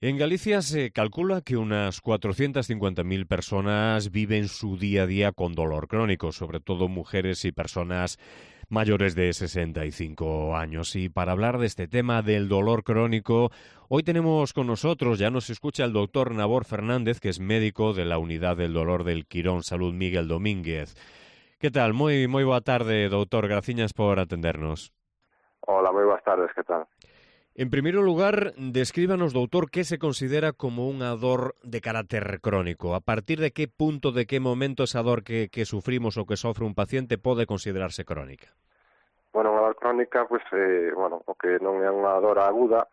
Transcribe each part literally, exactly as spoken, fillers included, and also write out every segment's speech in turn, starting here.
En Galicia se calcula que unas cuatrocientas cincuenta mil personas viven su día a día con dolor crónico, sobre todo mujeres y personas mayores de sesenta y cinco años. Y para hablar de este tema del dolor crónico, hoy tenemos con nosotros, ya nos escucha el doctor Nabor Fernández, que es médico de la Unidad del Dolor del Quirón Salud Miguel Domínguez. ¿Qué tal? Moi, moi boa tarde, doutor. Graciñas por atendernos. Hola, moi boas tardes, que tal? En primeiro lugar, descríbanos, doutor, que se considera como unha dor de carácter crónico. A partir de que punto, de que momento esa dor que, que sufrimos ou que sofre un paciente pode considerarse crónica? Bueno, unha dor crónica, pois, eh, bueno, o que non é unha dor aguda,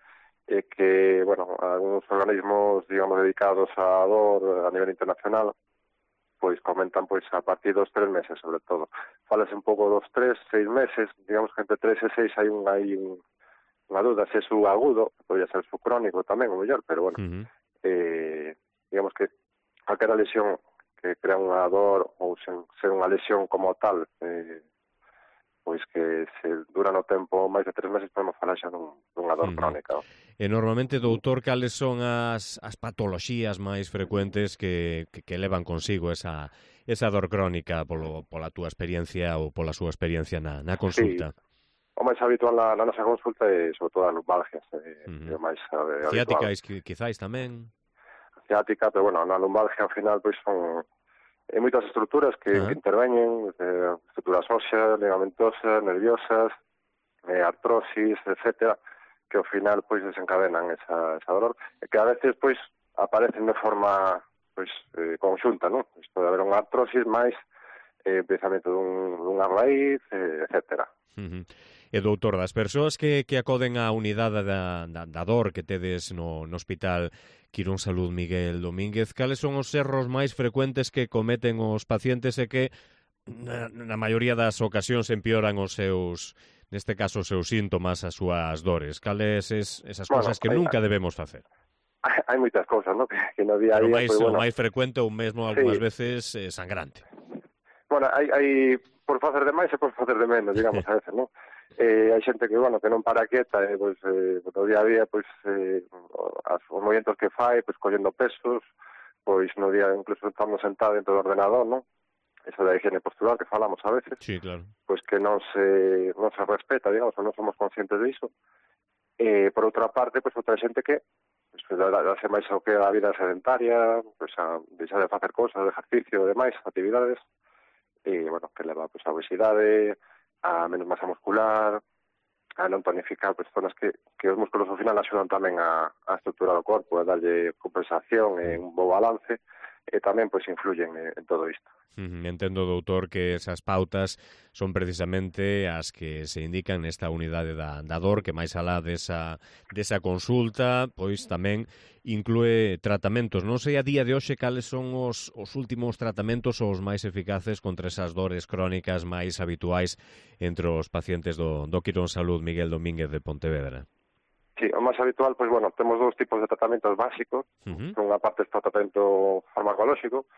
é que, bueno, algúns organismos, digamos, dedicados á dor a nivel internacional, pois comentan pois a partir dos tres meses, sobre todo. Falase un pouco dos tres, seis meses, digamos que entre tres e seis hai un, hai un, unha dúda se é su agudo, podría ser su crónico tamén, o mellor, pero bueno, Uh-huh. eh, digamos que calquera lesión que crea unha dor ou sen ser unha lesión como tal, eh, pois que se dura no tempo máis de tres meses podemos falar xa dun, dunha dor Uh-huh. crónica. E normalmente, doutor, cales son as, as patoloxías máis frecuentes que, que, que levan consigo esa, esa dor crónica polo, pola túa experiencia ou pola súa experiencia na, na Sí, consulta? o máis habitual na, na nosa consulta é sobre todo as lumbalgias, eh, é Uh-huh. o máis eh, habitual. Ciáticas, quizáis tamén? Ciática, pero bueno, na lumbalgia ao final pois son hai moitas estruturas que, Uh-huh. que interveñen, eh, estruturas óseas, ligamentosas, nerviosas, eh, artrosis, etcétera, que ao final pois desencadenan esa, esa dolor, e que a veces pois aparecen de forma pois eh, conxunta, non? Pois pode haber unha artrosis máis eh, precisamente dun, dunha raíz, eh, etcétera. Uh-huh. E doutor, das persoas que, que acoden á unidade da, da, da dor que tedes no, no Hospital Quirón Salud Miguel Domínguez, cales son os erros máis frecuentes que cometen os pacientes e que na, na maioría das ocasións empeoran os seus, neste caso, os seus síntomas, as súas dores? Cales es, esas Bueno, cousas que hai, nunca debemos facer? hai, hai moitas cousas, non? Que, que no día a Pero día, máis, pois, o bueno, máis frecuente ou mesmo algunhas sí. veces eh, sangrante. Bueno, hai, hai por facer de máis e por facer de menos, digamos, a veces, non? Eh, hai xente que, bueno, que non para quieta, e, pois, eh, no día a día, pois, eh, as, os movimentos que fai, pois, collendo pesos, pois, no día, incluso estamos sentados dentro do ordenador, non? Eso da higiene postural que falamos a veces, Sí, claro. pois, que non se, non se respeta, digamos, ou non somos conscientes disso. E, por outra parte, pois, outra xente que, pois, darse máis ao que a vida sedentaria, pois, a deixar de facer cousas, de ejercicio, demais, actividades, e, bueno, que leva pues, a obesidade, a menos masa muscular, a non tonificar pues, zonas que, que os músculos ao final axudan tamén a, a estrutura do corpo, a darlle compensación e un bo balance, e tamén pues, influyen en, en todo isto. Entendo, doutor, que esas pautas son precisamente as que se indican nesta unidade da, da dor, que máis alá desa, desa consulta, pois tamén inclúe tratamentos. Non sei a día de hoxe cales son os, os últimos tratamentos ou os máis eficaces contra esas dores crónicas máis habituais entre os pacientes do, do Quirón Salud Miguel Domínguez de Pontevedra. Sí, o máis habitual, pois, bueno, temos dous tipos de tratamentos básicos. Uh-huh. Por unha parte está o tratamento farmacolóxico,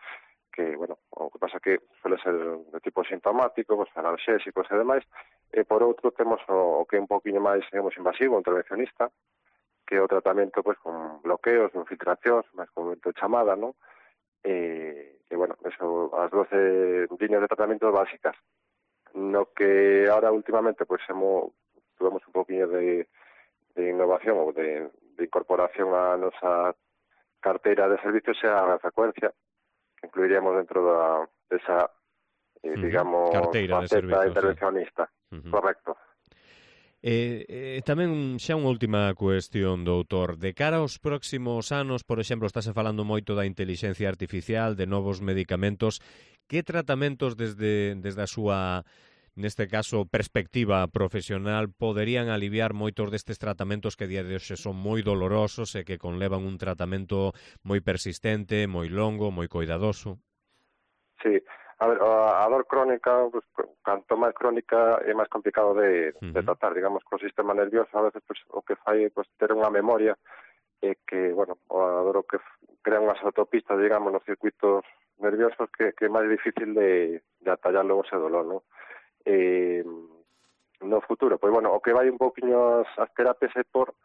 que, bueno, o que pasa que suele ser de tipo sintomático, pues, analxésicos e demais, e por outro temos o, o que é un poquinho máis, digamos, invasivo, intervencionista, que é o tratamento, pues, con bloqueos, infiltracións, máis comúnmente chamada, non? E, e, bueno, eso, as doce líneas de tratamento básicas. No que ahora, últimamente, pues, hemos, tuvemos un poquinho de, de innovación ou de, de incorporación a nosa carteira de servicios é a frecuencia, que incluiríamos dentro da, desa, eh, uh-huh. digamos, carteira de faceta servicios, intervencionista. Sí. Uh-huh. Correcto. E, e tamén xa unha última cuestión, doutor. De cara aos próximos anos, por exemplo, estáse falando moito da intelixencia artificial, de novos medicamentos. Que tratamentos desde, desde a súa, neste caso, perspectiva profesional, poderían aliviar moitos destes tratamentos que a día de hoxe son moi dolorosos e que conlevan un tratamento moi persistente, moi longo, moi coidadoso? Sí, a ver, a, a dor crónica, pues, canto máis crónica é máis complicado de, uh-huh. de tratar, digamos, co sistema nervioso a veces pues, o que fai pues, ter unha memoria e que, bueno, a dor o que crea unhas autopistas, digamos, nos circuitos nerviosos que, que é máis difícil de, de atallar logo ese dolor, non? E, no futuro, pois, bueno, o que vai un pouquiño as, as terapias é por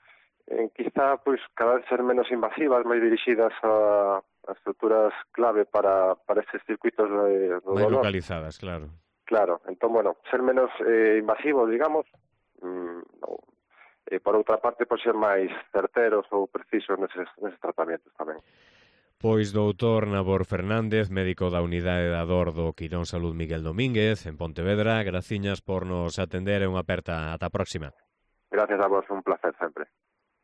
en quizá pois cada vez ser menos invasivas, máis dirixidas a, a estruturas clave para, para estes circuitos de, do Máis dolor. localizadas, claro. Claro, entón, bueno, ser menos eh, invasivos, digamos, mm, no, e por outra parte, pois ser máis certeros ou precisos neses, neses tratamentos tamén. Pois doutor Nabor Fernández, médico da Unidade da Dor do Quirón Salud Miguel Domínguez, en Pontevedra, graciñas por nos atender e unha aperta. Ata a próxima. Gracias a vos, un placer sempre.